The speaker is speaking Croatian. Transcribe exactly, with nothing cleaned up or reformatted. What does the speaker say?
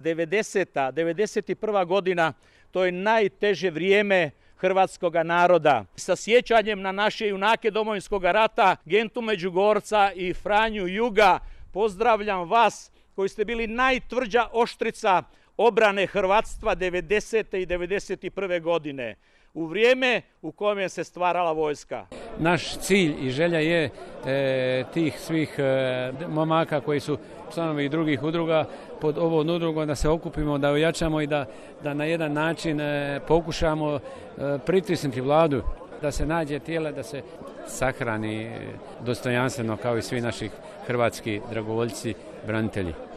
devedeseta, devedeset prva godina, to je najteže vrijeme hrvatskog naroda. Sa sjećanjem na naše junake Domovinskog rata, Gentu Međugorca i Franju Juga, pozdravljam vas koji ste bili najtvrđa oštrica obrane hrvatstva devedesete i devedeset prve godine, u vrijeme u kojem se stvarala vojska. Naš cilj i želja je e, tih svih e, momaka koji su članovi drugih udruga pod ovom udrugom da se okupimo, da ojačamo i da, da na jedan način e, pokušamo e, pritisnuti vladu da se nađe tijela, da se sahrani dostojanstveno kao i svi naši hrvatski dragovoljci, branitelji.